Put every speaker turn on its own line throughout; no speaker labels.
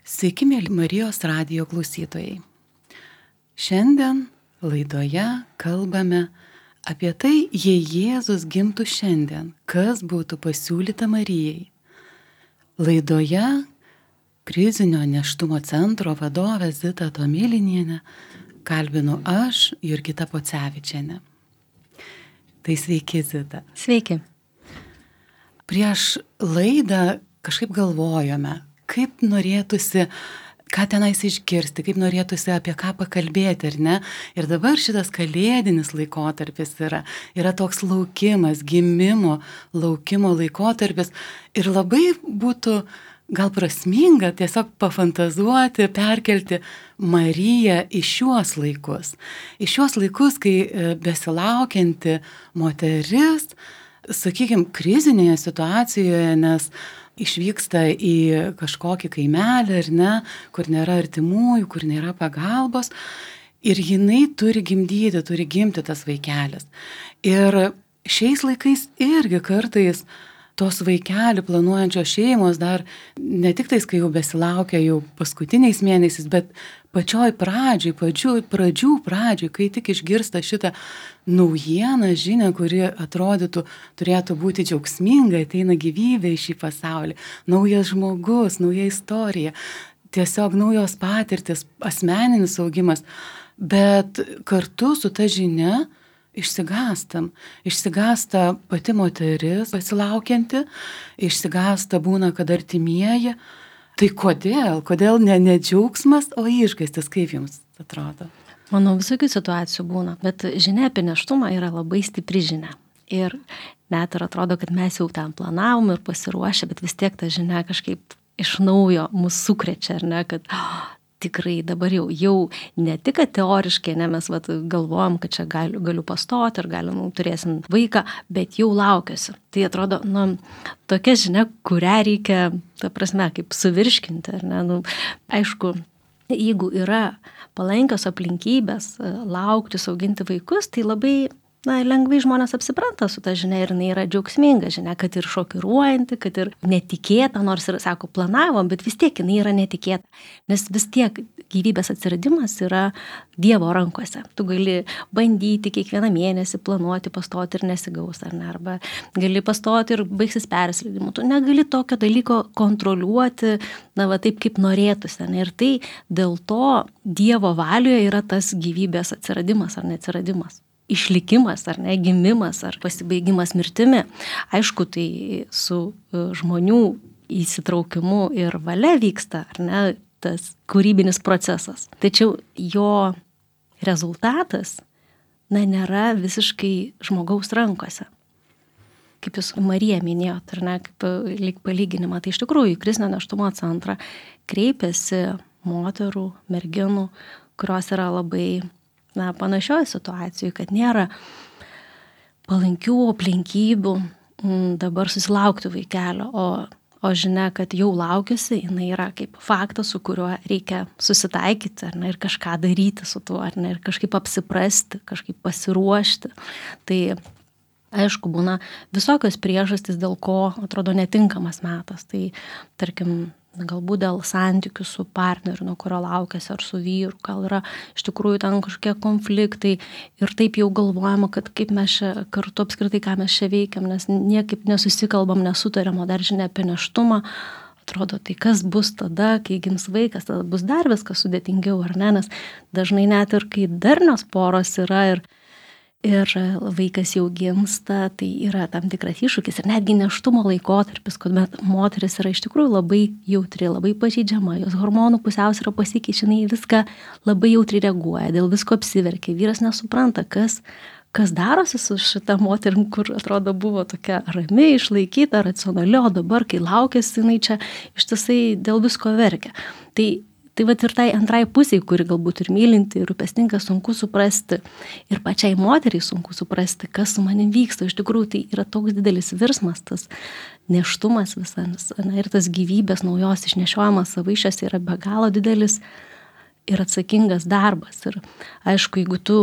Sveiki, mėly Marijos radijo klausytojai. Šiandien laidoje kalbame apie tai, jei Jėzus gimtų šiandien, kas būtų pasiūlyta Marijai. Laidoje krizinio nėštumo centro vadovę Zitą Tomilinienę kalbinu aš, Jurgita Pocevičienė. Tai sveiki, Zita.
Sveiki.
Prieš laidą kažkaip galvojome, kaip norėtųsi, ką tenais išgirsti, kaip norėtųsi apie ką pakalbėti, ar ne? Ir dabar šitas kalėdinis laikotarpis yra toks laukimas, gimimo, laukimo laikotarpis. Ir labai būtų gal prasminga tiesiog pafantazuoti, perkelti Mariją į šiuos laikus. Į šiuos laikus, kai besilaukianti moteris, sakykime, krizinėje situacijoje, nes išvyksta į kažkokį kaimelį, ar ne, kur nėra artimųjų, kur nėra pagalbos, ir jinai turi gimti tas vaikelis. Ir šiais laikais irgi kartais tos vaikelį planuojančios šeimos dar ne tik tais, kai jau besilaukia jau paskutiniais mėnesiais, bet pačioj pradžių pradžioj, kai tik išgirsta šitą naujieną, žinią, kuri atrodytų, turėtų būti džiaugsminga, ateina gyvybė į šį pasaulį, naujas žmogus, nauja istorija, tiesiog naujos patirtis, asmeninis augimas, bet kartu su ta žinia išsigąsta pati moteris besilaukianti, išsigąsta būna, kad artimieji. Tai kodėl ne džiaugsmas, o išgąstis, kaip jums atrodo?
Manau, visokių situacijų būna, bet žinia apie nėštumą yra labai stipri žinia. Ir net ir atrodo, kad mes jau tam planavom ir pasiruošę, bet vis tiek ta žinia kažkaip iš naujo mus sukrečia, ar ne, kad tikrai dabar jau ne tik, kad teoriškai, ne, mes galvojam, kad čia galiu pastoti ir turėsim vaiką, bet jau laukiuosi. Tai atrodo, tokia žinia, kurią reikia, ta prasme, kaip suvirškinti, ar ne, aišku, jeigu yra palankios aplinkybės laukti, auginti vaikus, tai labai lengvai žmonės apsipranta su ta žinia ir jinai yra džiaugsminga žinia, kad ir šokiruojanti, kad ir netikėta, nors ir, sako, planavom, bet vis tiek jinai yra netikėta, nes vis tiek gyvybės atsiradimas yra Dievo rankose. Tu gali bandyti kiekvieną mėnesį planuoti, pastoti ir nesigaus, ar ne, arba gali pastoti ir baigsis persileidimu. Tu negali tokio dalyko kontroliuoti, taip kaip norėtųsi, ne, ir tai dėl to Dievo valioje yra tas gyvybės atsiradimas ar neatsiradimas. Išlikimas, ar ne, gimimas, ar pasibaigimas mirtimi. Aišku, tai su žmonių įsitraukimu ir valia vyksta, ar ne, tas kūrybinis procesas. Tačiau jo rezultatas, nėra visiškai žmogaus rankose. Kaip jūs Mariją minėjot, ar ne, kaip lyg palyginimą, tai iš tikrųjų į krizinio nėštumo centrą kreipiasi moterų, merginų, kurios yra labai panašioje situacijoje, kad nėra palankių aplinkybių dabar susilaukti vaikelio, o žinia, kad jau laukiuosi, jinai yra kaip faktas, su kuriuo reikia susitaikyti, ar ne, ir kažką daryti su tuo, ar ne, ir kažkaip apsiprasti, kažkaip pasiruošti. Tai aišku, būna visokios priežastys, dėl ko atrodo netinkamas metas. Tai tarkim, galbūt dėl santykių su partneriu, nuo kurio laukiasi, ar su vyru, gal yra iš tikrųjų ten kažkokie konfliktai ir taip jau galvojama, kad kaip mes čia kartu apskritai, ką mes čia veikiam, nes niekaip nesusikalbam, nesutariam, o dar žinia apie nėštumą. Atrodo, tai kas bus tada, kai gims vaikas, tada bus dar viskas sudėtingiau, ar ne, nes dažnai net ir kai darnios poros yra ir vaikas jau gimsta, tai yra tam tikras iššūkis ir netgi nėštumo laikotarpis, kuomet moteris yra iš tikrųjų labai jautri, labai pažeidžiama, jos hormonų pusiausvyra pasikeičia, jinai viską labai jautriai reaguoja, dėl visko apsiverkia, vyras nesupranta, kas darosi su šita moterim, kur atrodo buvo tokia rami, išlaikyta, racionali, o dabar, kai laukėsi, jinai čia ištisai dėl visko verkia. Tai vat ir tai antrai pusiai, kuri galbūt ir mylinti, ir rūpestinga, sunku suprasti. Ir pačiai moteriai sunku suprasti, kas su manim vyksta. Iš tikrųjų, tai yra toks didelis virsmas, tas nėštumas visas. Ir tas gyvybės naujos išnešiojimas savaišės yra be galo didelis ir atsakingas darbas. Ir aišku, jeigu tu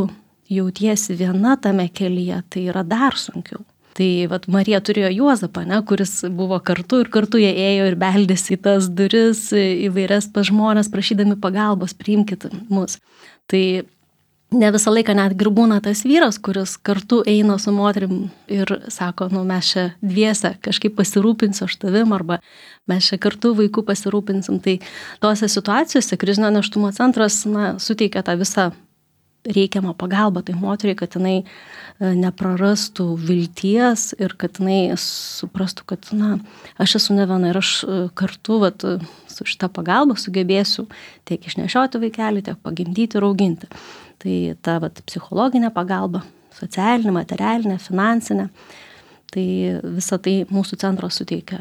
jautiesi viena tame kelyje, tai yra dar sunkiau. Tai vat Marija turėjo Juozapą, ne, kuris buvo kartu ir kartu jie ėjo ir beldėsi į tas duris įvairias pas žmonės, prašydami pagalbos, priimkit mus. Tai ne visą laiką net būna tas vyras, kuris kartu eina su moterim ir sako, mes čia dviese kažkaip pasirūpinsiu aš tavim, arba mes čia kartu vaikų pasirūpinsim. Tai tose situacijose krizinio nėštumo centras suteikia tą visą reikiamą pagalbą tai moteriai, kad jinai neprarastų vilties ir kad jinai suprastų, kad aš esu ne viena ir aš kartu su šita pagalba sugebėsiu tiek išnešioti vaikelį, tiek pagimdyti ir auginti. Tai ta psichologinė pagalba, socialinė, materialinė, finansinė, tai visą tai mūsų centras suteikia.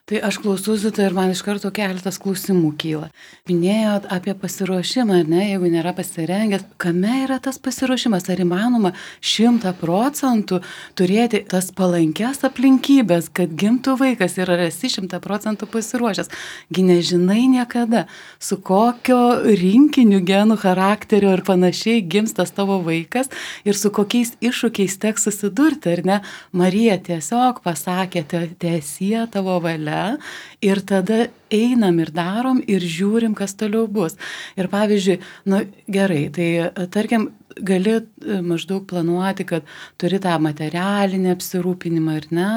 Tai aš klausausi tai ir man iš karto keletas klausimų kyla. Minėjot apie pasiruošimą, ne, jeigu nėra pasirengęs, kame yra tas pasiruošimas, ar įmanoma 100% turėti tas palankias aplinkybės, kad gimtų vaikas ir ar esi 100% pasiruošęs. Gi nežinai niekada, su kokio rinkiniu genų, charakterio ir panašiai gims tas tavo vaikas ir su kokiais iššūkiais teks susidurti, ar ne? Marija tiesiog pasakė, tiesie tavo valia. Ir tada einam ir darom ir žiūrim, kas toliau bus. Ir pavyzdžiui, gerai, tai tarkim, gali maždaug planuoti, kad turi tą materialinį apsirūpinimą, ar ne,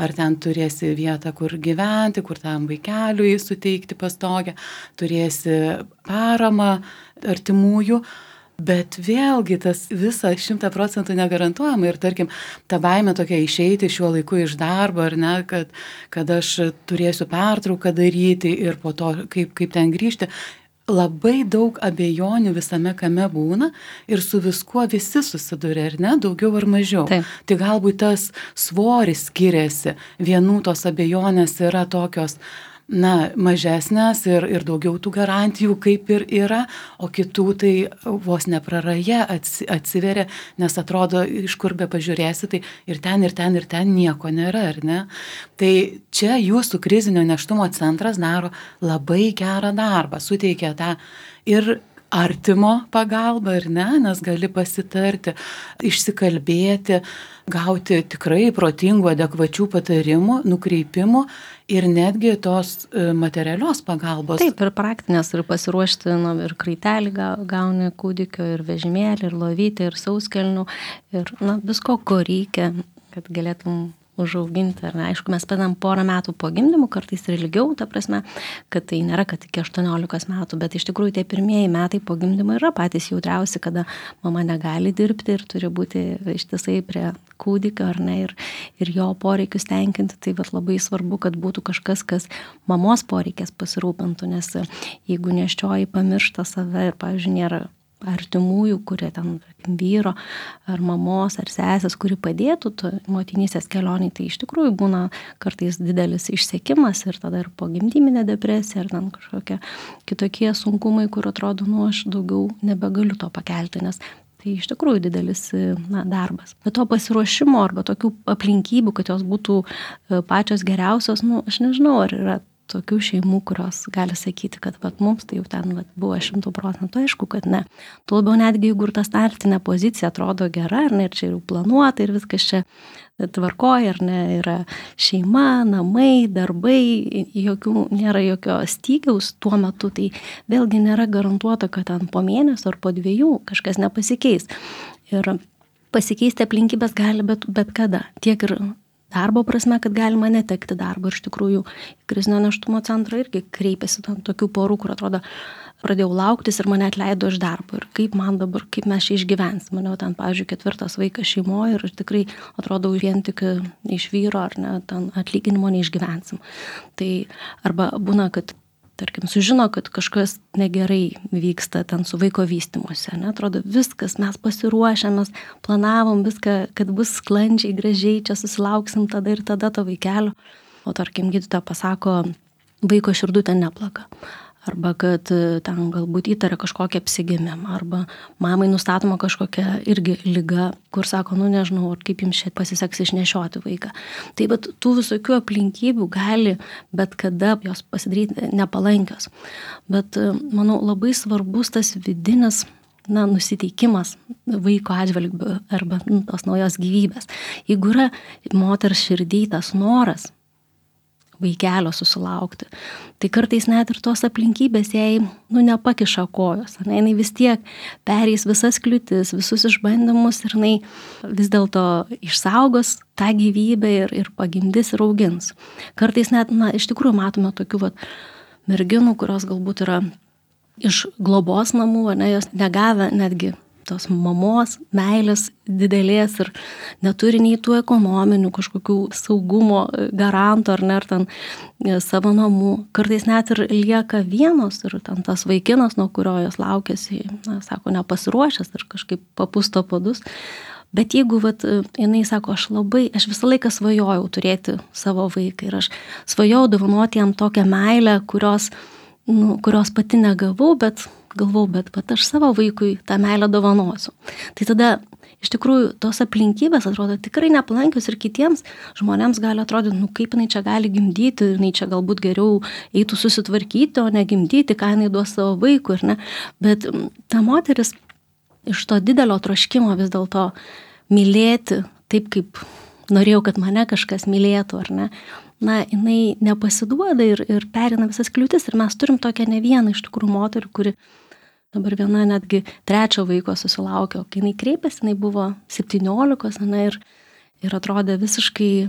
ar ten turėsi vietą, kur gyventi, kur tam vaikeliui suteikti pastogę, turėsi paramą artimųjų. Bet vėlgi tas visa 100% negarantuojama ir tarkim, ta baimė tokia išeiti šiuo laiku iš darbo, ar ne, kad aš turėsiu pertrauką daryti ir po to kaip ten grįžti. Labai daug abejonių visame kame būna ir su viskuo visi susiduria, ar ne, daugiau ar mažiau.
Taip.
Tai galbūt tas svoris skiriasi, vienų tos abejonės yra tokios mažesnės ir daugiau tų garantijų kaip ir yra, o kitų tai vos nepraraja atsiveria, nes atrodo, iš kur be pažiūrėsi, tai ir ten nieko nėra, ar ne? Tai čia jūsų krizinio nėštumo centras daro labai gerą darbą, suteikia tą ir artimo pagalbą, ar ne, nes gali pasitarti, išsikalbėti, gauti tikrai protingų, adekvačių patarimų, nukreipimų ir netgi tos materialios pagalbos.
Taip, ir praktinės, ir pasiruošti, ir kraitelį gauni kūdikio, ir vežimėlį, ir lovytę, ir sauskelnių, ir visko, ko reikia, kad galėtum užauginti, ar ne. Aišku, mes padam porą metų po gimdymų, kartais ir ilgiau, ta prasme, kad tai nėra, kad iki 18 metų, bet iš tikrųjų tie pirmieji metai po gimdymo yra patys jautriausi, kada mama negali dirbti ir turi būti ištisai prie kūdikio, ar ne, ir jo poreikius tenkinti. Tai labai svarbu, kad būtų kažkas, kas mamos poreikės pasirūpintų, nes jeigu nėščioji pamiršta save ir, pavyzdžiui, nėra artimųjų, kurie ten vyro ar mamos ar sesės, kuri padėtų motinystės kelioniai, tai iš tikrųjų būna kartais didelis išsekimas ir tada ir pogimdyminė depresija ar ten kažkokie kitokie sunkumai, kur atrodo, aš daugiau nebegaliu to pakelti, nes tai iš tikrųjų didelis darbas. Bet to pasiruošimo arba tokių aplinkybių, kad jos būtų pačios geriausios, aš nežinau, ar yra tokių šeimų, kurios gali sakyti, kad mums tai jau ten buvo 100%, aišku, kad ne. Tuo labiau netgi, jeigu ir ta startinė pozicija atrodo gera, ar ne, ir čia jau planuota, ir viskas čia tvarkoja, ar ne, yra šeima, namai, darbai, nėra jokio stygiaus tuo metu, tai vėlgi nėra garantuota, kad ten po mėnesio ar po 2 kažkas nepasikeis. Ir pasikeisti aplinkybės gali bet kada, tiek ir darbo prasme, kad galima netekti darbo. Ir iš tikrųjų krizinio nėštumo centrą irgi kreipiasi tokių porų, kur atrodo, pradėjau lauktis ir mane atleido iš darbo. Ir kaip man dabar, kaip mes čia išgyvensim. Maniau, ten, pavyzdžiui, 4 vaikas šeimoje ir tikrai atrodo vien tik iš vyro ar ne, ten atlyginimo neišgyvensim. Tai arba būna, kad tarkim, sužino, kad kažkas negerai vyksta ten su vaiko vystymuose. Atrodo, viskas, mes pasiruošę, mes planavom viską, kad bus sklandžiai, gražiai, čia susilauksim tada ir tada to vaikelio. O tarkim, gydytoja pasako, vaiko širdutė neplaka. Arba kad ten galbūt įtaria kažkokią apsigimimą. Arba mamai nustatoma kažkokia irgi liga, kur sako, nežinau, ar kaip jums čia pasiseks išnešioti vaiką. Tai bet tų visokių aplinkybių gali bet kada jos pasidaryti nepalankios. Bet manau, labai svarbus tas vidinis nusiteikimas vaiko atžvilgiu arba tos naujos gyvybės. Jeigu yra moters širdį tas noras vaikelio susilaukti, tai kartais net ir tos aplinkybės jai nepakiša kojos. Jinai vis tiek pereis visas kliūtis, visus išbandymus ir jinai vis dėlto išsaugos tą gyvybę ir pagimdys ir augins. Kartais net, iš tikrųjų matome tokių merginų, kurios galbūt yra iš globos namų, jos negavę netgi tos mamos meilės didelės ir neturi nei tų ekonominių kažkokių saugumo garantų ar ten savo namų. Kartais net ir lieka vienos ir ten tas vaikinas, nuo kurio jos laukiasi, sako, nepasiruošęs ir kažkaip papusto padus. Bet jeigu jinai sako, aš visą laiką svajojau turėti savo vaiką ir aš svajojau dovanoti jam tokią meilę, kurios pati negavau, bet aš savo vaikui tą meilę dovanosiu. Tai tada iš tikrųjų tos aplinkybės atrodo tikrai nepalankios ir kitiems žmonėms gali atrodyti, kaip jinai čia gali gimdyti, jinai čia galbūt geriau eitų susitvarkyti, o ne gimdyti, ką jinai duos savo vaikui, ar ne. Bet ta moteris iš to didelio troškimo vis dėlto mylėti taip, kaip norėjau, kad mane kažkas mylėtų, ar ne. Jinai nepasiduoda ir perina visas kliūtis. Ir mes turim tokią ne vieną iš tikrųjų moterį, kuri dabar viena netgi 3 vaiko susilaukė, o kai jinai kreipėsi, jinai buvo 17 ir atrodė visiškai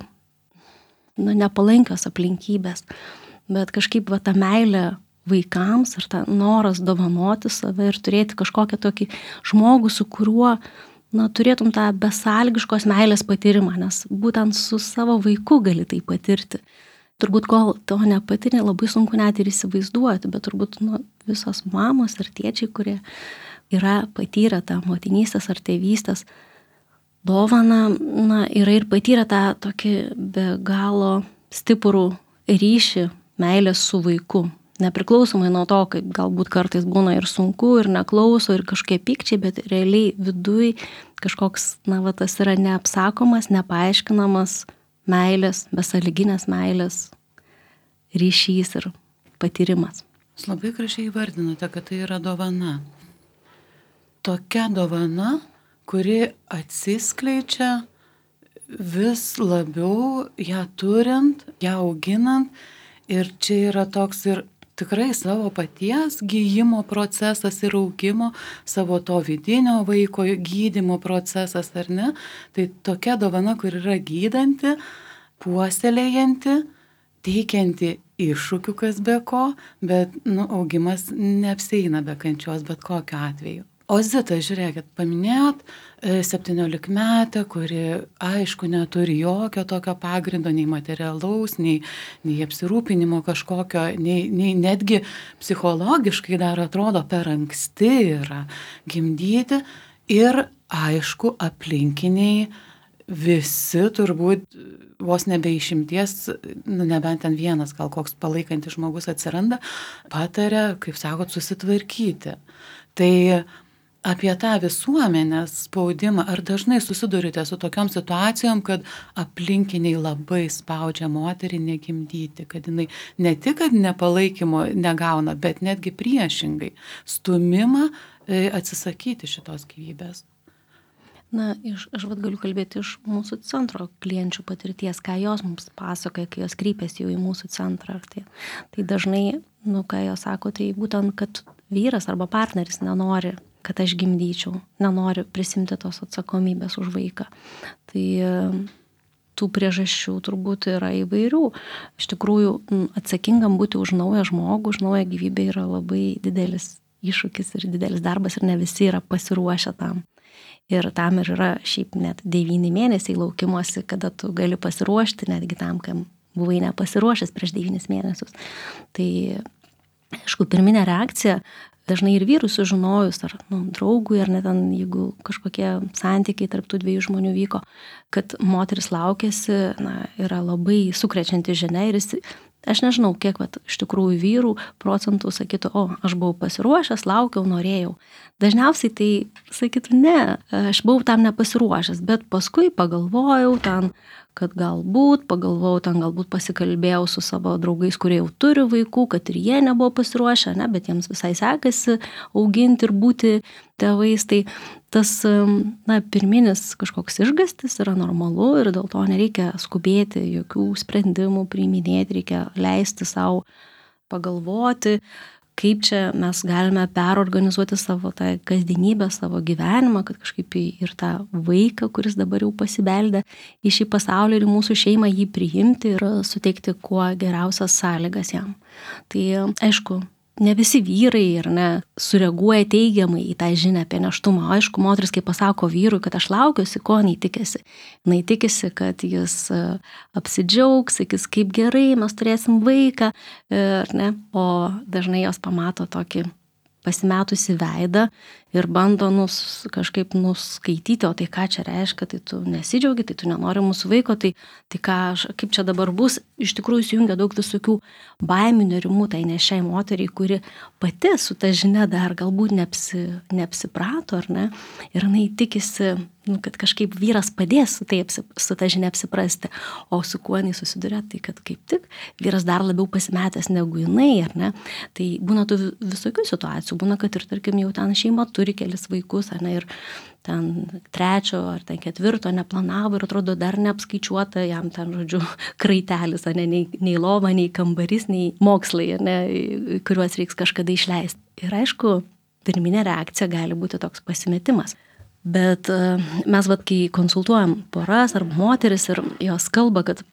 nepalankios aplinkybės. Bet kažkaip ta meilė vaikams ir ta noras dovanoti save ir turėti kažkokią tokį žmogų, su kuriuo turėtum tą besąlygiškos meilės patyrimą, nes būtent su savo vaiku gali tai patirti. Turbūt kol to nepatyrė, labai sunku net ir įsivaizduoti, bet turbūt visos mamos ir tėčiai, kurie yra patyrę tą motinystės ar tėvystės dovaną, yra ir patyrę tą tokį be galo stiprų ryšį meilės su vaiku. Nepriklausomai nuo to, kaip galbūt kartais būna ir sunku, ir neklauso, ir kažkokie pykčiai, bet realiai viduj kažkoks, tas yra neapsakomas, nepaaiškinamas meilės, besąlyginės meilės ryšys ir patyrimas.
Jūs labai gražiai įvardinote, kad tai yra dovana. Tokia dovana, kuri atsiskleidžia vis labiau ją turint, ją auginant, ir čia yra toks ir tikrai savo paties gyjimo procesas ir augimo, savo to vidinio vaiko gydymo procesas, ar ne? Tai tokia dovana, kur yra gydanti, puoselėjanti, teikianti iššūkių kas be ko, bet augimas neapsieina be kančios bet kokiu atveju. O Zita, žiūrėkit, paminėjot 17-metę, kuri aišku neturi jokio tokio pagrindo, nei materialaus, nei apsirūpinimo kažkokio, nei netgi psichologiškai dar atrodo per anksti yra gimdyti. Ir aišku, aplinkiniai visi turbūt vos nebe išimties, nebent ten vienas gal koks palaikantis žmogus atsiranda, pataria, kaip sakot, susitvarkyti. Tai apie tą visuomenės spaudimą, ar dažnai susidurite su tokiom situacijom, kad aplinkiniai labai spaudžia moterį negimdyti, kad jinai ne tik, kad nepalaikymo negauna, bet netgi priešingai stumimą atsisakyti šitos gyvybės?
Aš galiu kalbėti iš mūsų centro klienčių patirties, ką jos mums pasakoja, kai jos kreipiasi jau į mūsų centrą. Tai dažnai, ką jos sako, tai būtent, kad vyras arba partneris nenori, kad aš gimdyčiau, nenori prisimti tos atsakomybės už vaiką. Tai tų priežasčių turbūt yra įvairių. Iš tikrųjų, atsakingam būti už naują žmogų, už naują gyvybę yra labai didelis iššūkis ir didelis darbas ir ne visi yra pasiruošę tam. Ir tam ir yra šiaip net 9 mėnesiai laukimuose, kada tu gali pasiruošti netgi tam, kam buvai nepasiruošęs prieš 9 mėnesius. Tai, aišku, pirminė reakcija dažnai ir vyrų sužinojus, ar draugui, ar net ten, jeigu kažkokie santykiai tarp tų 2 žmonių vyko, kad moteris laukėsi, yra labai sukrečianti žinia ir aš nežinau, kiek iš tikrųjų vyrų procentų sakytų, aš buvau pasiruošęs, laukiau, norėjau. Dažniausiai tai sakytų, ne, aš buvau tam nepasiruošęs, bet paskui pagalvojau, ten kad galbūt pasikalbėjau su savo draugais, kurie jau turi vaikų, kad ir jie nebuvo pasiruošę, ne, bet jiems visai sekasi auginti ir būti tėvais. Tai tas pirminis kažkoks išgąstis yra normalu ir dėl to nereikia skubėti, jokių sprendimų priiminėti, reikia leisti savo pagalvoti, kaip čia mes galime perorganizuoti savo tą kasdienybę, savo gyvenimą, kad kažkaip ir tą vaiką, kuris dabar jau pasibeldė į šį pasaulį ir mūsų šeimą, jį priimti ir suteikti kuo geriausias sąlygas jam. Tai aišku, ne visi vyrai ir ne sureaguoja teigiamai į tą žinią apie nėštumą. Aišku, moteris, kai pasako vyrui, kad aš laukiuosi, ko jinai tikisi. Jinai tikisi, kad jis apsidžiaugs, sakys, kaip gerai, mes turėsim vaiką, ne? O dažnai jos pamato tokį pasimetusi veidą ir bando kažkaip nuskaityti, o tai ką čia reiškia, tai tu nesidžiaugi, tai tu nenori mūsų vaiko, tai kaip čia dabar bus. Iš tikrųjų įsijungia daug visokių baimių, nerimų tai nešiai moteriai, kuri pati su ta žinia dar galbūt neapsiprato, ar ne, ir jinai tikisi, kad kažkaip vyras padės su ta žinia apsiprasti, o su kuo jinai susiduria, tai kad kaip tik vyras dar labiau pasimetęs negu jinai, ar ne. Tai būna tų visokių situacijų, būna, kad ir tarkim jau ten šeima turi kelis vaikus, ar ne, ir ten 3 ar 4 neplanavo ir atrodo dar neapskaičiuota jam ten, žodžiu, kraitelis, ar ne, nei lova, nei kambarys, nei mokslai, ar ne, kuriuos reiks kažkada išleisti. Ir aišku, pirminė reakcija gali būti toks pasimetimas. Bet mes, kai konsultuojam poras arba moteris ir jos kalba, kad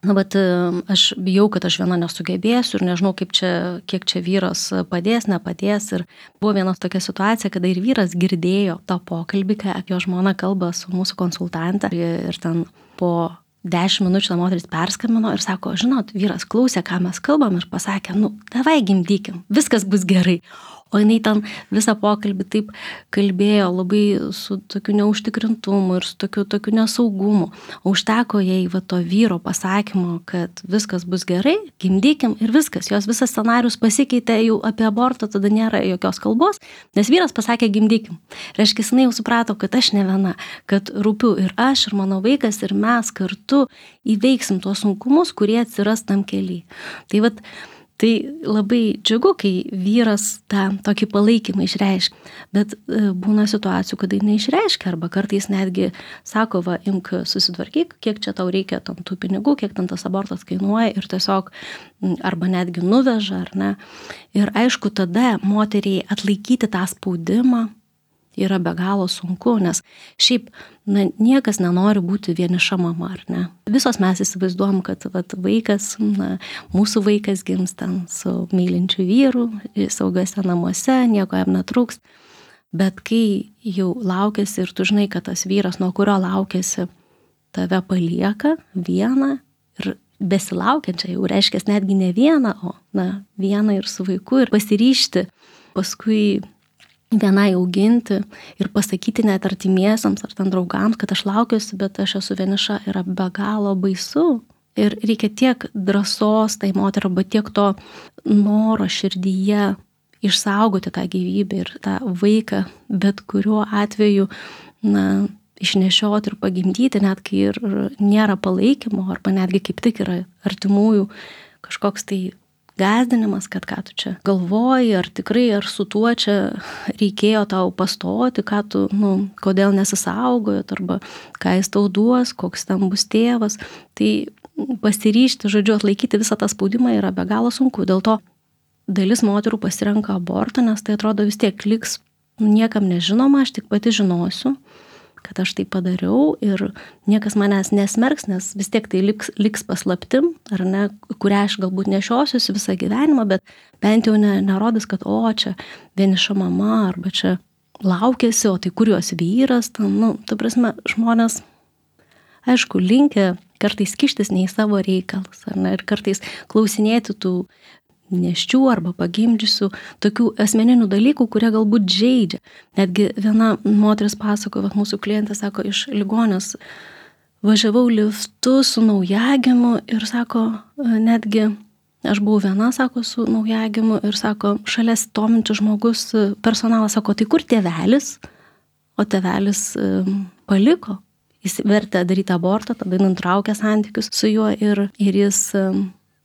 aš bijau, kad aš viena nesugebėsiu ir nežinau, kiek čia vyras padės, nepadės. Ir buvo viena tokia situacija, kada ir vyras girdėjo tą pokalbį, kai apie jo žmoną kalba su mūsų konsultante. Ir ten po 10 minučių ta moteris perskambino ir sako, žinot, vyras klausė, ką mes kalbam ir pasakė, davai gimdykim, viskas bus gerai. O jinai ten visą pokalbį taip kalbėjo labai su tokiu neužtikrintumu ir su tokiu nesaugumu. O užteko jai to vyro pasakymo, kad viskas bus gerai, gimdykim ir viskas. Jos visas scenarius pasikeitė, jau apie abortą tada nėra jokios kalbos, nes vyras pasakė gimdykim. Reiškia, jinai jau suprato, kad aš ne viena, kad rūpiu ir aš, ir mano vaikas, ir mes kartu įveiksim tuos sunkumus, kurie atsiras tam kely. Tai labai džiugu, kai vyras tą tokį palaikymą išreiškia, bet būna situacijų, kada jis neišreiškia, arba kartais netgi sako, imk susitvarkyk, kiek čia tau reikia tų pinigų, kiek ten tas abortas kainuoja ir tiesiog arba netgi nuveža, ar ne. Ir aišku, tada moteriai atlaikyti tą spaudimą yra be galo sunku, nes šiaip niekas nenori būti vieniša mama, ar ne. Visos mes įsivaizduojam, kad vaikas, mūsų vaikas gims ten su mylinčiu vyru, saugiuose namuose, nieko jam netrūks. Bet kai jau laukiasi ir tu žinai, kad tas vyras, nuo kurio laukiasi, tave palieka vieną ir besilaukiančią, jau reiškia netgi ne vieną, o vieną ir su vaiku ir pasiryžti paskui vienai auginti ir pasakyti net artimiesiams ar ten draugams, kad aš laukiuosi, bet aš esu vieniša, yra be galo baisu. Ir reikia tiek drąsos tai moteriai, arba tiek to noro širdyje išsaugoti tą gyvybę ir tą vaiką, bet kuriuo atveju išnešioti ir pagimdyti, net kai ir nėra palaikymo, arba netgi kaip tik yra artimųjų kažkoks tai gąsdinimas, kad ką tu čia galvoji, ar tikrai, ar su tuo čia reikėjo tau pastoti, ką tu, kodėl nesisaugojot, arba ką jis tau duos, koks ten bus tėvas. Tai pasiryžti, žodžiu, atlaikyti visą tą spaudimą yra be galo sunku. Dėl to dalis moterų pasirenka abortą, nes tai atrodo vis tiek liks niekam nežinoma, aš tik pati žinosiu, kad aš tai padariau ir niekas manęs nesmerks, nes vis tiek tai liks paslaptim, ar ne, kurią aš galbūt nešiosiuosi visą gyvenimą, bet bent jau nerodys, kad čia vieniša mama, arba čia laukiasi, o tai kur jos vyras, ta prasme, žmonės, aišku, linkę kartais kištis ne į savo reikalus, ar ne, ir kartais klausinėti tų neščių arba pagimdžiusių tokių asmeninių dalykų, kurie galbūt žeidžia. Netgi viena moteris pasakojo, mūsų klientė sako, iš ligonės važiavau liftu su naujagimu ir sako, netgi aš buvau viena, sako, su naujagimu ir sako, šalia stovintis žmogus, personalas sako, tai kur tėvelis? O tėvelis paliko jis vertė daryti abortą, tada nutraukė santykius su juo ir jis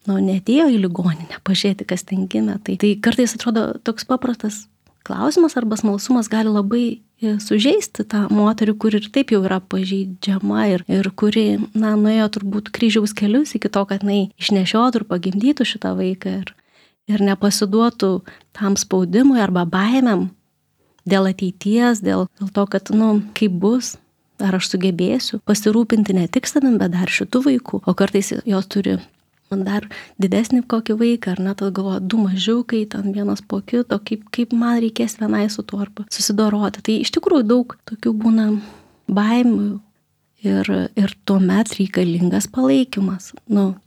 neatėjo į ligoninę pažiūrėti, kas ten gimė. Tai kartais atrodo toks paprastas klausimas arba smalsumas gali labai sužeisti tą moterį, kuri ir taip jau yra pažeidžiama ir kuri, nuėjo turbūt kryžiaus kelius iki to, kad išnešiotų ir pagimdytų šitą vaiką ir nepasiduotų tam spaudimui arba baimėm dėl ateities, dėl to, kad, kaip bus, ar aš sugebėsiu pasirūpinti ne tik savim, bet dar šitų vaikų, o kartais jos turi dar didesnį kokį vaiką, tada galvoja, 2 mažiukai, ten vienas po kito, kaip man reikės vienai su tuo arba susidoroti. Tai iš tikrųjų daug tokių būna baimių ir tuomet reikalingas palaikymas.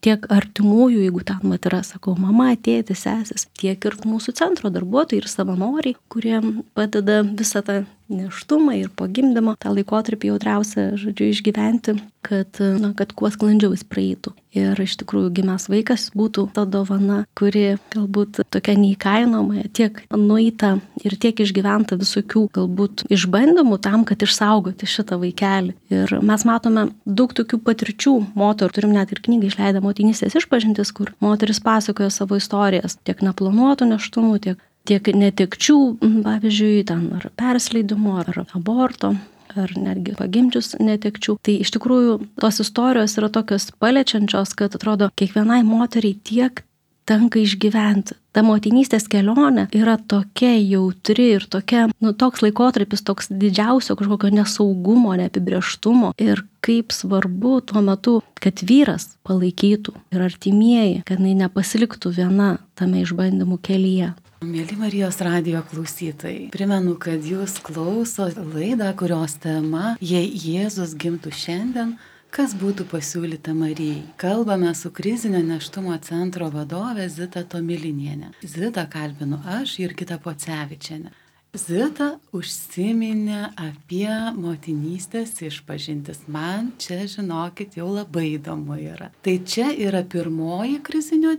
Tiek artimųjų, jeigu ten yra, sakau, mama, tėtis, sesis, tiek ir mūsų centro darbuotojai ir savanoriai, kurie padeda visą tą nėštumą ir po gimdymo tą laikotarpį jautriausią, išgyventi, kad kuo sklandžiau jis praeitų. Ir iš tikrųjų gimęs vaikas būtų ta dovana, kuri galbūt tokia neįkainoma, tiek nueita ir tiek išgyventa visokių galbūt išbandymų tam, kad išsaugoti šitą vaikelį. Ir mes matome daug tokių patirčių moterų, turim net ir knygą išleidę Motinystės išpažintis, kur moteris pasakoja savo istorijas, tiek neplanuotų nėštumų, tiek netekčių, pavyzdžiui, ar persleidimo, ar aborto, ar netgi pagimdžius netekčių. Tai iš tikrųjų tos istorijos yra tokios paliečiančios, kad atrodo, kiekvienai moteriai tiek tenka išgyventi. Ta motinystės kelionė yra tokia jautri ir tokia, toks laikotarpis, toks didžiausio kažkokio nesaugumo, neapibrėžtumo. Ir kaip svarbu tuo metu, kad vyras palaikytų ir artimieji, kad nepasiliktų viena tame išbandymų kelyje.
Mėly Marijos radijo klausytojai, primenu, kad jūs klauso laidą, kurios tema Jei Jėzus gimtų šiandien, kas būtų pasiūlyta Marijai. Kalbame su krizinio nėštumo centro vadove Zita Tomilinienė. Zitą kalbinu aš, Jurgita Pocevičienė. Zita užsiminė apie motinystės išpažintis. Man čia, žinokit, jau labai įdomu yra. Tai čia yra pirmoji krizinio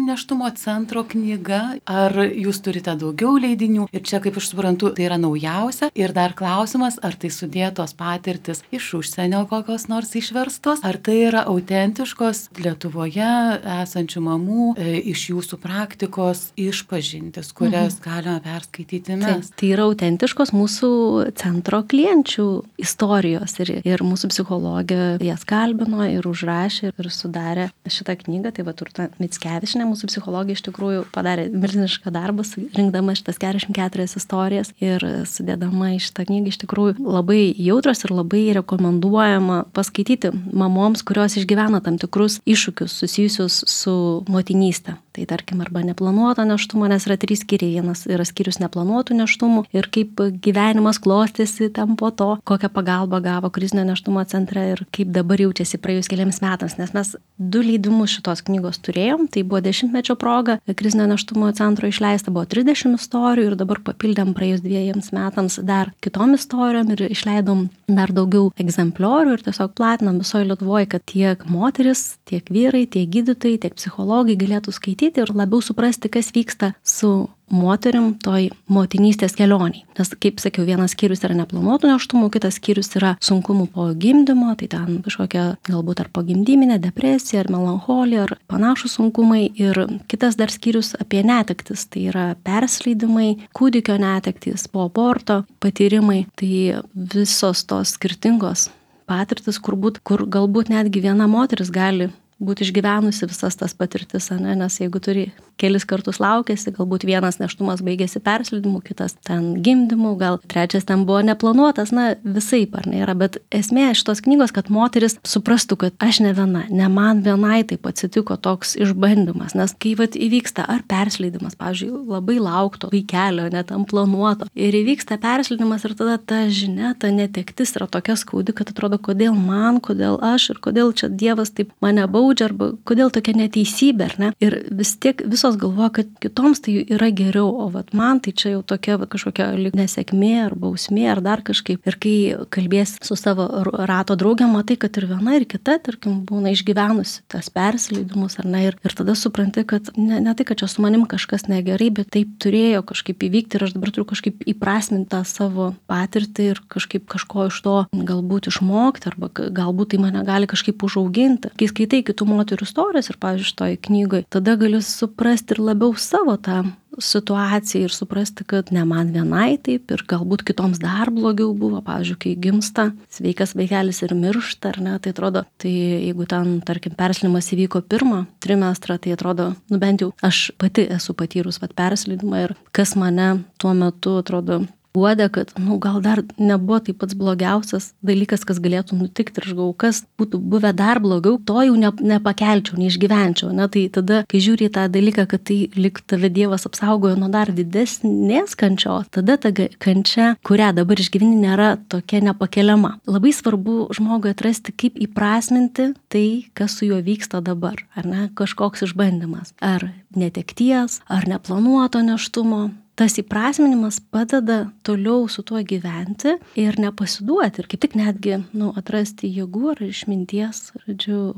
nėštumo centro knyga. Ar jūs turite daugiau leidinių? Ir čia, kaip aš suprantu, tai yra naujausia. Ir dar klausimas, ar tai sudėtos patirtis iš užsienio kokios nors išverstos, ar tai yra autentiškos Lietuvoje esančių mamų iš jūsų praktikos išpažintis, kurias galime perskaityti mes.
Tai yra autentiškos mūsų centro klienčių istorijos ir mūsų psichologė jas kalbino ir užrašė ir sudarė šitą knygą. Tai Urta Mickevičienė, mūsų psichologė, iš tikrųjų padarė milžinišką darbą, rinkdama šitas 44 istorijas ir sudėdama į šitą knygą. Iš tikrųjų labai jautros ir labai rekomenduojama paskaityti mamoms, kurios išgyvena tam tikrus iššūkius susijusius su motinystė. Tai tarkim, arba neplanuoto nėštumo, nes yra 3 skyriai. Vienas yra skyrius neplanuotų nėštumų ir kaip gyvenimas klostėsi ten po to, kokią pagalbą gavo krizinio nėštumo centre ir kaip dabar jaučiasi praėjus keliams metams. Nes mes 2 leidimus šitos knygos turėjom, tai buvo 10-mečio proga, krizinio nėštumo centro išleista buvo 30 istorijų ir dabar papildėm praėjus 2 metams dar kitom istorijom ir išleidom dar daugiau egzempliorių ir tiesiog platinam visoje Lietuvoje, kad tiek moteris, tiek vyrai, tiek gydytojai, tiek psichologai galėtų skaityti ir labiau suprasti, kas vyksta su moterim toj motinystės kelioniai. Nes, kaip sakiau, vienas skyrius yra neplanuotų nėštumų, kitas skyrius yra sunkumų po gimdymo, tai ten kažkokia galbūt ar pogimdyminė depresija, ar melancholija, ar panašus sunkumai. Ir kitas dar skyrius apie netektis, tai yra persleidimai, kūdikio netektis, po aborto patyrimai. Tai visos tos skirtingos patirtis, kur galbūt netgi viena moteris gali būti išgyvenusi visas tas patirtis, nes jeigu turi kelis kartus laukėsi, galbūt vienas nėštumas baigėsi persleidimu, kitas ten gimdymu, gal trečias ten buvo neplanuotas, visaip yra, bet esmė šitos knygos, kad moteris suprastų, kad aš ne viena, ne man vienai taip atsitiko toks išbandymas, nes kai įvyksta ar persleidimas, pavyzdžiui, labai laukto vaikelio, net tam planuoto, ir įvyksta persleidimas ir tada ta žinia, ta netektis yra tokia skaudi, kad atrodo, kodėl man, kodėl aš ir kodėl čia Dievas taip mane baudžia, arba kodėl tokia neteisybė, ar ne? Ir vis tiek visos visos galvoja, kad kitoms tai yra geriau, o vat man tai čia jau tokia kažkokia lyg nesėkmė ar bausmė ar dar kažkaip. Ir kai kalbės su savo rato draugėm, matai, kad ir viena ir kita, tarkim, būna išgyvenusi tas persileidimus ar ne, ir tada supranti, kad ne tai, kad čia su manim kažkas negerai, bet taip turėjo kažkaip įvykti ir aš dabar turiu kažkaip įprasminti tą savo patirtį ir kažkaip kažko iš to galbūt išmokti arba galbūt tai mane gali kažkaip užauginti. Kai skaitai kitų moterų istorijas ir, pavyzdžiui, šitoj knygoj, tada gali suprasti ir labiau savo tą situaciją ir suprasti, kad ne man vienai taip ir galbūt kitoms dar blogiau buvo. Pavyzdžiui, kai gimsta sveikas vaikelis ir miršta, ar ne, tai atrodo, tai jeigu ten, tarkim, perslidimas įvyko pirmą trimestrą, tai atrodo, bent jau aš pati esu patyrus perslidimą ir kas mane tuo metu atrodo guodė, kad, gal dar nebuvo tai pats blogiausias dalykas, kas galėtų nutikti ir aš galvoju, kas būtų buvę dar blogiau, to jau nepakelčiau, neišgyvenčiau. Tai tada, kai žiūri į tą dalyką, kad tai lyg tave Dievas apsaugojo nuo dar didesnės kančios, tada ta kančia, kurią dabar išgyveni, nėra tokia nepakeliama. Labai svarbu žmogui atrasti, kaip įprasminti tai, kas su juo vyksta dabar, ar ne, kažkoks išbandymas, ar netekties, ar neplanuoto nėštumo. Tas įprasminimas padeda toliau su tuo gyventi ir nepasiduoti ir kaip tik netgi atrasti jėgų ar išminties,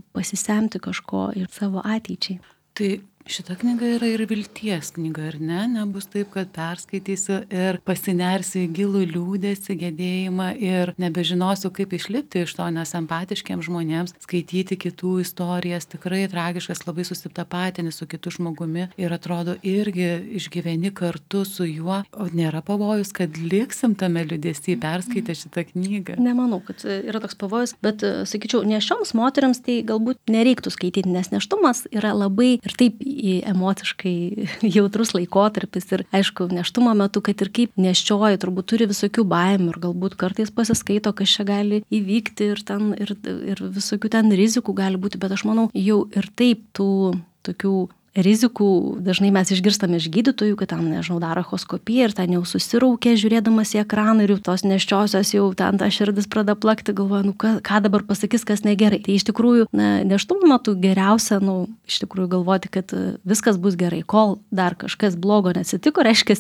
pasisemti kažko ir savo ateičiai.
Tai šita knyga yra ir vilties knyga, ar ne? Nebus taip, kad perskaitysiu ir pasinersiu į gilų liūdesį, gedėjimą ir nebežinosiu, kaip išlipti iš to, nes empatiškiams žmonėms skaityti kitų istorijas tikrai tragiškas, labai susitapatini su kitu žmogumi ir atrodo irgi išgyveni kartu su juo, o nėra pavojus, kad liksim tame liūdesį perskaitę šitą knygą.
Nemanau, kad yra toks pavojus, bet sakyčiau, nėščioms moteriams tai galbūt nereiktų skaityti, nes nėštumas yra labai ir taip emociškai jautrus laikotarpis ir aišku, nėštumo metu, kad ir kaip nėščioji, turbūt turi visokių baimių ir galbūt kartais pasiskaito, kas čia gali įvykti ir visokių ten rizikų gali būti, bet aš manau, jau ir taip tų tokių rizikų dažnai mes išgirstame iš gydytojų, kad ten, daro echoskopiją ir ten jau susiraukia žiūrėdamas į ekraną ir jau tos nėščiosios jau ten ta širdis pradeda plakti, galvoja, ką dabar pasakys, kas negerai. Tai iš tikrųjų, nėštumo metu geriausia, iš tikrųjų galvoti, kad viskas bus gerai, kol dar kažkas blogo neatsitiko, reiškia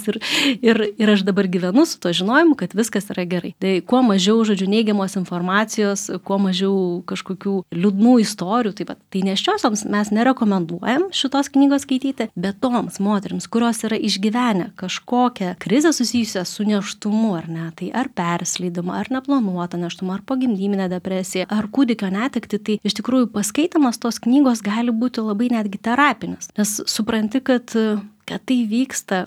ir aš dabar gyvenu su to žinojimu, kad viskas yra gerai. Tai kuo mažiau, neigiamos informacijos, kuo mažiau kažkokių liūdnų istorijų, tai nėščiosioms mes nerekomenduojam šitos knygos skaityti, bet toms moterims, kurios yra išgyvenę kažkokią krizę susijusią su nėštumu, ar ne, tai ar persileidimą, ar neplanuotą nėštumą, ar pogimdyminę depresiją, ar kūdikio netektį, tai iš tikrųjų paskaitamas tos knygos gali būti labai netgi terapinis, nes supranti, kad tai vyksta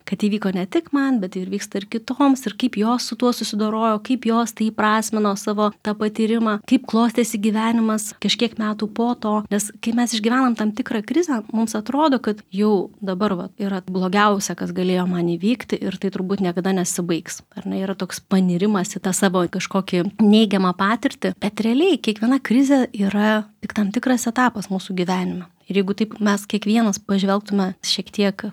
kad įvyko ne tik man, bet ir vyksta ir kitoms, ir kaip jos su tuo susidorojo, kaip jos tai įprasmino savo tą patyrimą, kaip klostėsi gyvenimas kažkiek metų po to, nes kai mes išgyvenam tam tikrą krizę, mums atrodo, kad jau dabar yra blogiausia, kas galėjo man įvykti ir tai turbūt niekada nesibaigs. Ar ne, yra toks panirimas į tą savo kažkokį neigiamą patirtį, bet realiai kiekviena krizė yra tik tam tikras etapas mūsų gyvenime. Ir jeigu taip mes kiekvienas pažvelgtume šiek tiek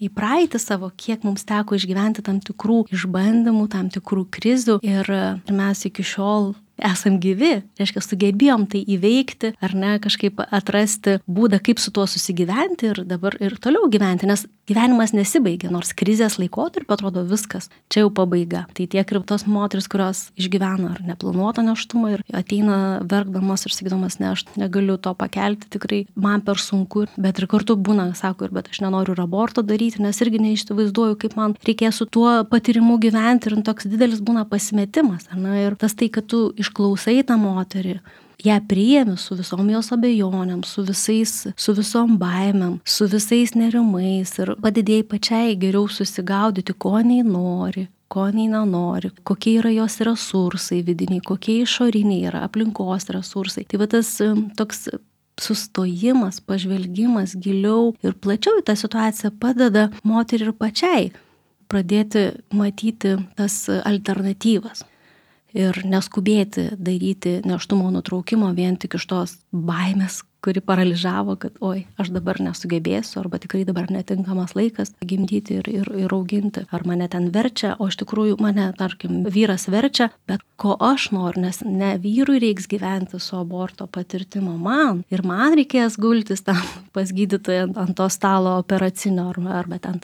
į praeitį savo, kiek mums teko išgyventi tam tikrų išbandymų, tam tikrų krizių ir mes iki šiol esam gyvi, reiškia, sugebėjom tai įveikti, ar ne, kažkaip atrasti būdą, kaip su tuo susigyventi ir dabar ir toliau gyventi, nes gyvenimas nesibaigia, nors krizės laikotarpiu atrodo viskas, čia jau pabaiga. Tai tiek ir tos moteris, kurios išgyvena ar neplanuotą nėštumą ir ateina verkdamos ir sakydamas, ne, aš negaliu to pakelti, tikrai man per sunku, bet ir kartu būna, sako, bet aš nenoriu ir aborto daryti, nes irgi neišsivaizduoju, kaip man reikės su tuo patyrimu gyventi ir toks didelis būna pasimetimas, ar ne, ir tas tai, kad tu išklausai tą moterį, ją priėmi su visom jos abejonėm, su visom baimėm, su visais nerimais ir padidėjai pačiai geriau susigaudyti, ko nei nori, ko nei nenori, kokie yra jos resursai vidiniai, kokie išoriniai yra aplinkos resursai. Tai tas toks sustojimas, pažvelgimas giliau ir plačiau į tą situaciją padeda moteriai ir pačiai pradėti matyti tas alternatyvas. Ir neskubėti daryti nėštumo nutraukimo vien tik iš tos baimės, kuri paralyžavo, kad oi, aš dabar nesugebėsiu, arba tikrai dabar netinkamas laikas gimdyti ir auginti, ar mane ten verčia, o iš tikrųjų mane, tarkim, vyras verčia, bet ko aš noriu, nes ne vyrui reiks gyventi su aborto patirtimo man, ir man reikės gultis tam pas gydytoją ant to stalo operacinio, arba ten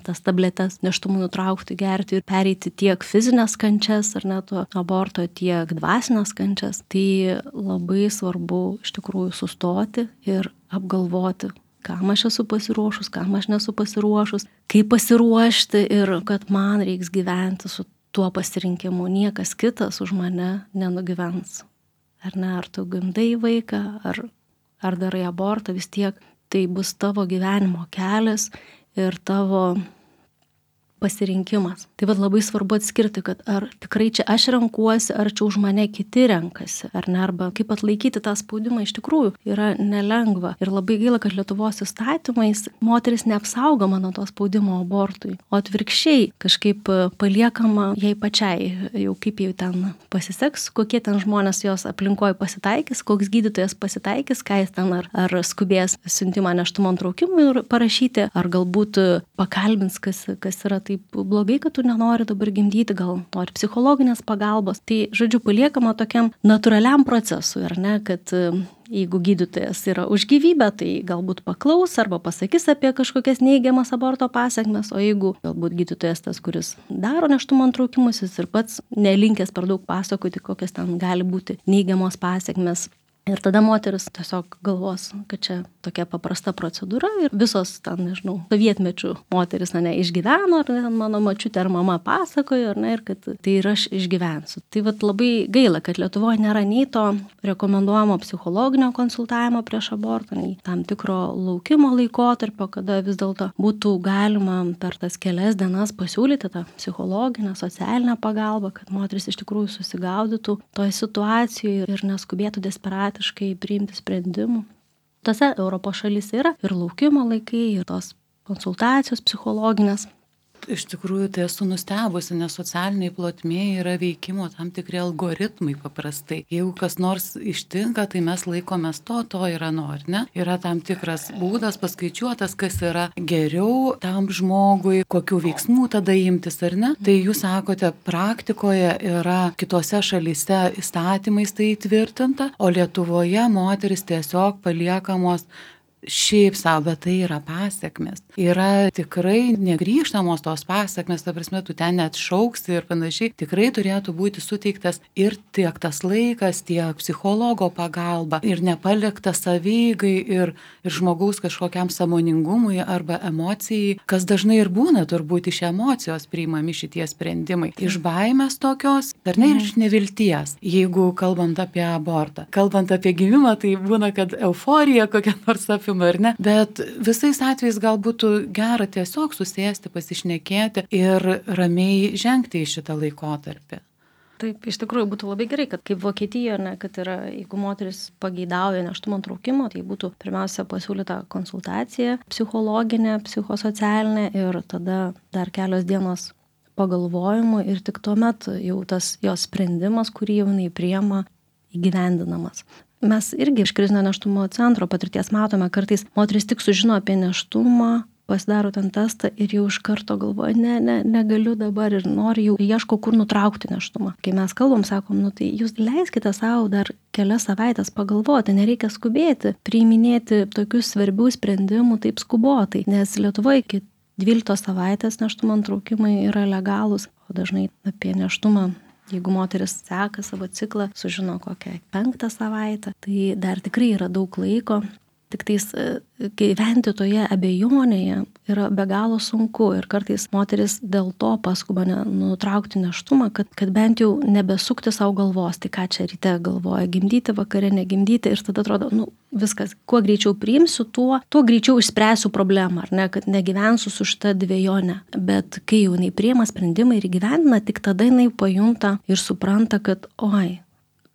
tas tabletes nėštumui nutraukti, gerti ir pereiti tiek fizinės kančias, ar net aborto, tiek dvasinės kančias. Tai labai svarbu iš tikrųjų sustoti ir apgalvoti, kam aš esu pasiruošus, kam aš nesu pasiruošus, kaip pasiruošti ir kad man reiks gyventi su tuo pasirinkimu. Niekas kitas už mane nenugyvens. Ar ne, ar tu gimdai vaiką, ar darai abortą, vis tiek tai bus tavo gyvenimo kelias ir tavo pasirinkimas. Tai labai svarbu atskirti, kad ar tikrai čia aš renkuosi, ar čia už mane kiti renkasi, ar ne, arba kaip atlaikyti tą spaudimą iš tikrųjų yra nelengva. Ir labai gaila, kad Lietuvos įstatymais moteris neapsaugoma nuo to spaudimo abortui, o atvirkščiai kažkaip paliekama jai pačiai, jau kaip jau ten pasiseks, kokie ten žmonės jos aplinkoje pasitaikys, koks gydytojas pasitaikys, ką jis ten ar skubės siuntimą nėštumo nutraukimui parašyti, ar galbūt pakalbins, kas yra taip blogai, kad tu nenori dabar gimdyti, gal nori psichologinės pagalbos. Tai, žodžiu, paliekama tokiam natūraliam procesui, ar ne, kad jeigu gydytojas yra už gyvybę, tai galbūt paklaus arba pasakys apie kažkokias neigiamas aborto pasekmes, o jeigu galbūt gydytojas tas, kuris daro nėštumo nutraukimus, jis ir pats nelinkęs per daug pasakoti, kokias ten gali būti neigiamos pasekmes. Ir tada moteris tiesiog galvos, kad čia tokia paprasta procedūra ir visos ten, nežinau, sovietmečių moteris išgyveno, ar ne, mano močiutė ar mama pasakojo, ar ne, ir kad tai ir aš išgyvensiu. Tai labai gaila, kad Lietuvoje nėra nei to rekomenduojamo psichologinio konsultavimo prieš abortą, nei tam tikro laukimo laikotarpio, kada vis dėlto būtų galima per tas kelias dienas pasiūlyti tą psichologinę, socialinę pagalbą, kad moteris iš tikrųjų susigaudytų toje situacijoje ir neskubėtų desperatiškai priimti sprendimų. Tose Europos šalyse yra ir laukimo laikai, ir tos konsultacijos psichologinės.
Iš tikrųjų, tai esu nustebusi, nes socialiniai plotmėje yra veikimo tam tikri algoritmai paprastai. Jeigu kas nors ištinka, tai mes laikomės to ir nori, ne? Yra tam tikras būdas paskaičiuotas, kas yra geriau tam žmogui, kokių veiksmų tada imtis, ar ne? Tai jūs sakote, praktikoje yra kitose šalyse įstatymais tai įtvirtinta, o Lietuvoje moteris tiesiog paliekamos šiaip savo, bet tai yra pasekmės. Yra tikrai negrįžtamos tos pasekmės, ta prasme, tu ten net šauksi ir panašiai. Tikrai turėtų būti suteiktas ir tiek tas laikas, tiek psichologo pagalba ir nepalikta savieigai ir žmogaus kažkokiam sąmoningumui arba emocijai, kas dažnai ir būna turbūt iš emocijos priimami šitie sprendimai. Iš baimės tokios, ar ne, ir iš nevilties, jeigu kalbant apie abortą. Kalbant apie gimimą, tai būna, kad euforija kokia nors ar ne, bet visais atvejais gal būtų gera tiesiog susėsti, pasišnekėti ir ramiai žengti į šitą laikotarpį.
Taip, iš tikrųjų būtų labai gerai, kad kaip Vokietijoje, ne, kad yra, jeigu moteris pageidauja nėštumo nutraukimo, tai būtų pirmiausia pasiūlyta konsultacija psichologinė, psichosocialinė ir tada dar kelios dienos pagalvojimų ir tik tuomet jau tas jos sprendimas, kurį jau jinai priima, įgyvendinamas. Mes irgi iš krizinio nėštumo centro patirties matome, kartais moteris tik sužino apie nėštumą, pasidaro ten testą ir jau iš karto galvoja, negaliu dabar ir nori jau ieško, kur nutraukti nėštumą. Kai mes kalbam, sakom, tai jūs leiskite savo dar kelias savaitės pagalvoti, nereikia skubėti, priiminėti tokius svarbių sprendimų taip skubotai, nes Lietuvoje iki 12 savaitės nėštumo nutraukimai yra legalūs, o dažnai apie nėštumą, jeigu moteris seka savo ciklą, sužino kokią 5 savaitę, tai dar tikrai yra daug laiko. Tik tais gyventi toje abejonėje yra be galo sunku ir kartais moteris dėl to paskuba nutraukti nėštumą, kad bent jau nebesukti savo galvos, tai ką čia ryte galvoja, gimdyti, vakare negimdyti ir tada atrodo, viskas, kuo greičiau priimsiu, tuo greičiau išspręsiu problemą, ar ne, kad negyvensiu su šitą dvejonę. Bet kai jau jinai priima sprendimą ir įgyvendina, tik tada jinai pajunta ir supranta, kad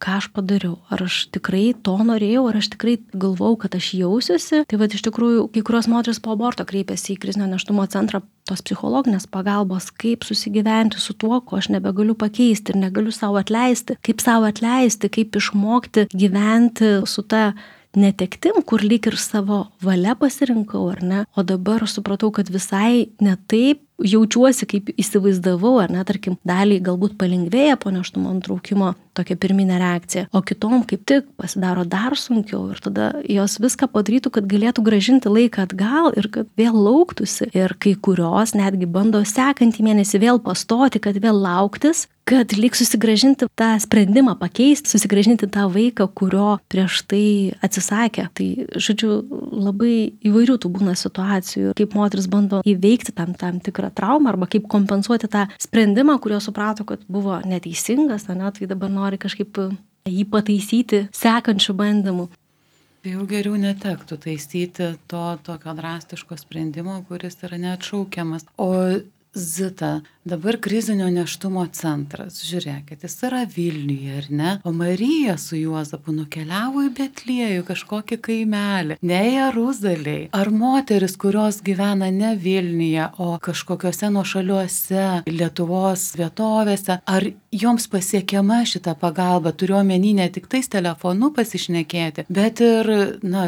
ką aš padariau, ar aš tikrai to norėjau, ar aš tikrai galvau, kad aš jausiuosi. Tai iš tikrųjų, kai kurios moteris po aborto kreipiasi į krizinio nėštumo centrą tos psichologinės pagalbos, kaip susigyventi su tuo, ko aš nebegaliu pakeisti ir negaliu savo atleisti, kaip išmokti gyventi su ta netektim, kur lyg ir savo valia pasirinkau, ar ne, o dabar aš supratau, kad visai ne taip jaučiuosi, kaip įsivaizdavau, ar ne, tarkim, daliai galbūt palengvėja po nėštumo nutraukimo tokia pirminė reakcija, o kitom kaip tik pasidaro dar sunkiau ir tada jos viską padarytų, kad galėtų grąžinti laiką atgal ir kad vėl lauktųsi. Ir kai kurios netgi bando sekantį mėnesį vėl pastoti, kad vėl lauktis, kad lyg susigrąžinti tą sprendimą pakeisti, susigrąžinti tą vaiką, kurio prieš tai atsisakė. Tai, žodžiu, labai įvairių tų būna situacijų, kaip moteris bando įveikti tam tikrą traumą arba kaip kompensuoti tą sprendimą, kurio suprato, kad buvo neteisingas, ne, tai dabar nori kažkaip jį pataisyti sekančių bandymų.
Tai jau geriau netektų taisyti to tokio drastiško sprendimo, kuris yra neatšaukiamas. O Zita, dabar krizinio nėštumo centras, žiūrėkit, jis yra Vilniuje, ar ne? O Marija su Juozapu nukeliavo į Betliejų, kažkokį kaimelį, ne Jeruzalėj. Ar moteris, kurios gyvena ne Vilniuje, o kažkokiuose nuošaliuose Lietuvos vietovėse, ar joms pasiekiama šita pagalba, turiu omeny ne tik tais telefonu pasišnekėti, bet ir,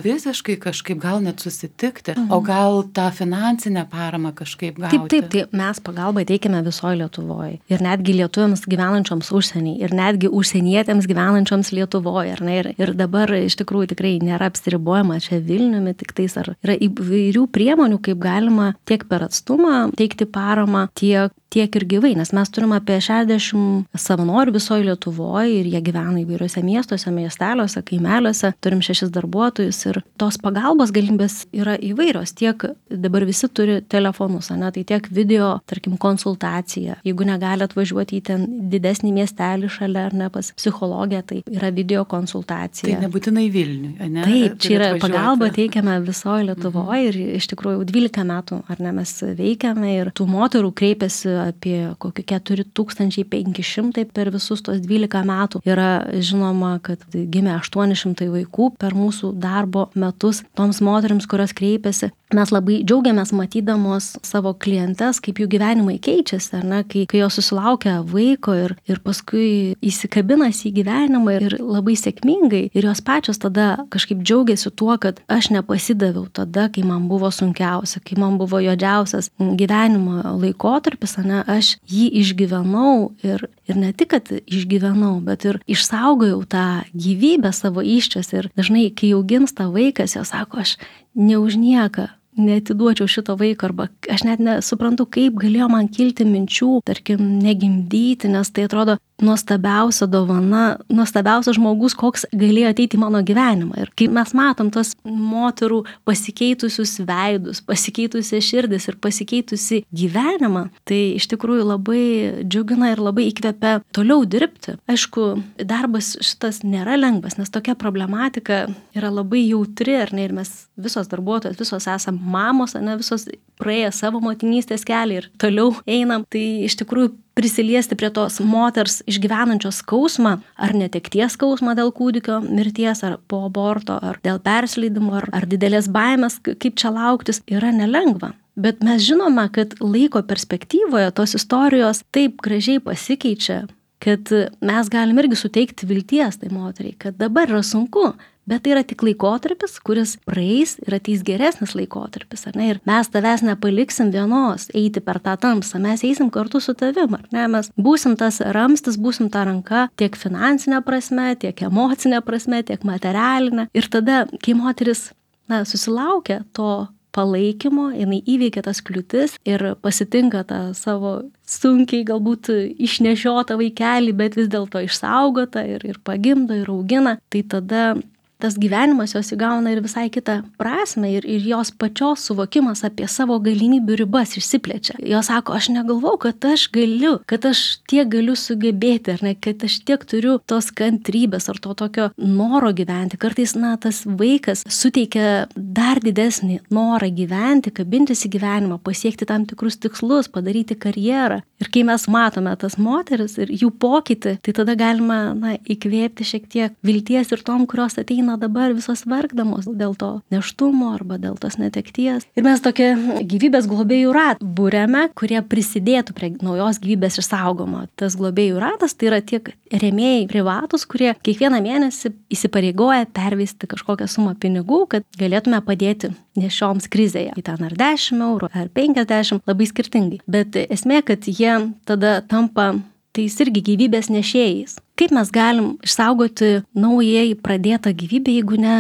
visiškai kažkaip gal net susitikti, o gal tą finansinę paramą kažkaip gauti?
Taip, mes pagalbą teikiame visoje Lietuvoje. Ir netgi lietuviams gyvenančioms užsienyje, ir netgi užsienietėms gyvenančioms Lietuvoje. Ir dabar iš tikrųjų tikrai nėra apsiribojama čia Vilniumi, tik tais ar yra įvairių priemonių, kaip galima tiek per atstumą teikti paramą, tiek ir gyvai, nes mes turime apie 60 savanorių visoje Lietuvoje ir jie gyvena įvairiuose miestuose, miesteliuose, kaimeliuose, turim 6 darbuotojus ir tos pagalbos galimybės yra įvairios, tiek dabar visi turi telefonus, ne, tai tiek video, tarkim, konsultacija, jeigu negali atvažiuoti į ten didesnį miestelį šalia ar ne pas psichologę, tai yra video konsultacija.
Tai nebūtinai Vilniuje, ne?
Taip, čia yra pagalba teikiame visoje Lietuvoje ir iš tikrųjų 12 metų, ar ne, mes veikiame ir tų moterų kreipiasi apie kokį 4500 per visus tos 12 metų. Yra žinoma, kad gimė 800 vaikų per mūsų darbo metus toms moterims, kurios kreipiasi. Mes labai džiaugiamės matydamos savo klientes, kaip jų gyvenimai keičiasi, ar ne, kai jos susilaukia vaiko ir paskui įsikabinasi į gyvenimą ir labai sėkmingai. Ir jos pačios tada kažkaip džiaugiasi tuo, kad aš nepasidaviau tada, kai man buvo sunkiausia, kai man buvo juodžiausias gyvenimo laikotarpis, ne, aš jį išgyvenau ir ne tik, kad išgyvenau, bet ir išsaugojau tą gyvybę savo įsčiose. Ir dažnai, kai jau gimsta vaikas, jos sako, aš ne už nieką neatiduočiau šito vaiko, arba aš net nesuprantu, kaip galėjo man kilti minčių, tarkim, negimdyti, nes tai atrodo nuostabiausia dovana, nuostabiausias žmogus, koks galėjo ateiti į mano gyvenimą. Ir kai mes matom tos moterų pasikeitusius veidus, pasikeitusią širdis ir pasikeitusi gyvenimą, tai iš tikrųjų labai džiugina ir labai įkvepia toliau dirbti. Aišku, darbas šitas nėra lengvas, nes tokia problematika yra labai jautri, ar ne, ir mes visos darbuotojos, visos esam mamos, ne, visos praėję savo motinystės kelią ir toliau einam, tai iš tikrųjų prisiliesti prie tos moters išgyvenančios skausmą, ar netekties skausmą dėl kūdikio mirties, ar po aborto, ar dėl persileidimo, ar didelės baimės, kaip čia lauktis, yra nelengva. Bet mes žinome, kad laiko perspektyvoje tos istorijos taip gražiai pasikeičia, kad mes galim irgi suteikti vilties tai moteriai, kad dabar yra sunku, bet tai yra tik laikotarpis, kuris praeis ir ateis geresnis laikotarpis, ar ne? Ir mes tavęs nepaliksim vienos eiti per tą tamsą, mes eisim kartu su tavim, ar ne? Mes būsim tas ramstis, būsim ta ranka tiek finansinė prasme, tiek emocinė prasme, tiek materialinė. Ir tada, kai moteris susilaukia to palaikymo, jinai įveikia tas kliūtis ir pasitinka tą savo sunkiai galbūt išnešiotą vaikelį, bet vis dėlto išsaugotą ir pagimdo ir augina, tai tada tas gyvenimas jos įgauna ir visai kitą prasme ir jos pačios suvokimas apie savo galimybių ribas išsiplečia. Jos sako, aš negalvau, kad aš galiu, kad aš tiek galiu sugebėti, ar ne, kad aš tiek turiu tos kantrybės ar to tokio noro gyventi. Kartais, tas vaikas suteikia dar didesnį norą gyventi, kabintis į gyvenimą, pasiekti tam tikrus tikslus, padaryti karjerą. Ir kai mes matome tas moteris ir jų pokytį, tai tada galima įkvėpti šiek tiek vilties ir tom, kurios ateina eina dabar visos verkdamos dėl to nėštumo arba dėl tos netekties. Ir mes tokia gyvybės globėjų ratą būrėme, kurie prisidėtų prie naujos gyvybės išsaugomo. Tas globėjų ratas tai yra tiek rėmėjai privatus, kurie kiekvieną mėnesį įsipareigoja pervesti kažkokią sumą pinigų, kad galėtume padėti nešioms krizėje. Į ten ar 10 eurų, ar 50, labai skirtingai. Bet esmė, kad jie tada tampa tais irgi gyvybės nešėjais. Kaip mes galim išsaugoti naujai pradėtą gyvybę, jeigu ne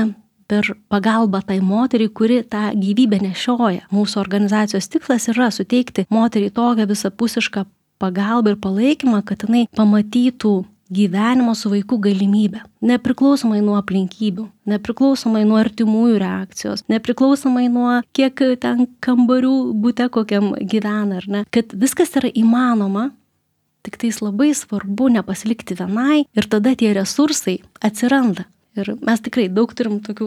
per pagalbą tai moteriai, kuri tą gyvybę nešioja? Mūsų organizacijos tikslas yra suteikti moteriai tokią visapusišką pagalbą ir palaikymą, kad jinai pamatytų gyvenimo su vaiku galimybę. Nepriklausomai nuo aplinkybių, nepriklausomai nuo artimųjų reakcijos, nepriklausomai nuo kiek ten kambarių bute kokiam gyvena, ar ne. Kad viskas yra įmanoma, tik tais labai svarbu nepasilikti vienai ir tada tie resursai atsiranda. Ir mes tikrai daug turim tokių,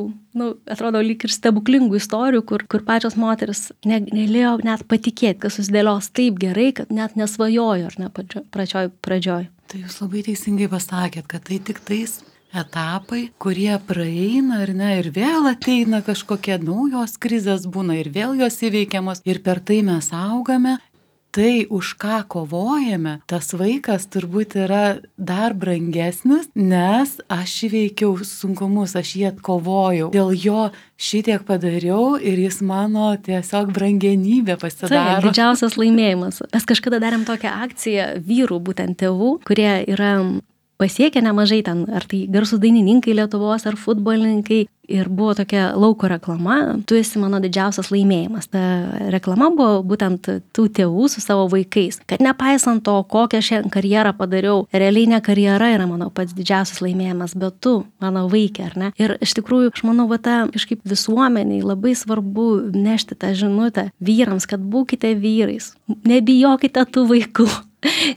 atrodo, lyg ir stebuklingų istorijų, kur pačios moteris negalėjo net patikėti, kad susidėlios taip gerai, kad net nesvajojo, ar ne, pradžioj.
Tai jūs labai teisingai pasakėt, kad tai tik tais etapai, kurie praeina, ar ne, ir vėl ateina kažkokie naujos krizės būna ir vėl jos įveikiamos ir per tai mes augame. Tai, už ką kovojame, tas vaikas turbūt yra dar brangesnis, nes aš įveikiau sunkumus, aš jį atkovojau. Dėl jo šitiek padariau ir jis mano tiesiog brangenybė pasidaro.
Tai didžiausias laimėjimas. Mes kažkada darėm tokią akciją vyrų, būtent tėvų, kurie yra pasiekę nemažai ten, ar tai garsūs dainininkai Lietuvos, ar futbolininkai. Ir buvo tokia lauko reklama, tu esi mano didžiausias laimėjimas. Ta reklama buvo būtent tų tėvų su savo vaikais. Kad nepaisant to, kokią šią karjerą padariau, realiai ne karjera yra mano pats didžiausias laimėjimas, bet tu, mano vaikė, ar ne? Ir iš tikrųjų, aš manau, ta kažkaip visuomeniai labai svarbu nešti tą žinutę vyrams, kad būkite vyrais, nebijokite tų vaikų.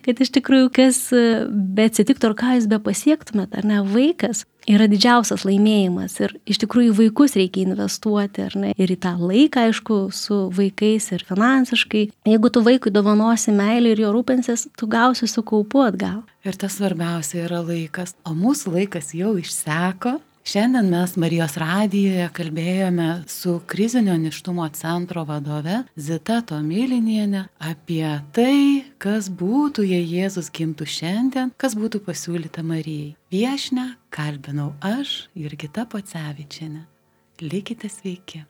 Kad iš tikrųjų, kas be atsitiktų ar ką jūs be pasiektumėt, ar ne, vaikas yra didžiausias laimėjimas ir iš tikrųjų vaikus reikia investuoti, ar ne, ir į tą laiką, aišku, su vaikais ir finansiškai. Jeigu tu vaikui dovanosi meilę ir jo rūpensies, tu gausi su kaupu atgal.
Ir tas svarbiausia yra laikas, o mūsų laikas jau išseko. Šiandien mes Marijos radijoje kalbėjome su krizinio nėštumo centro vadove Zita Tomiliniene apie tai, kas būtų, jei Jėzus gimtų šiandien, kas būtų pasiūlyta Marijai. Viešnią kalbinau aš, Jurgita Pocevičienė. Likite sveiki.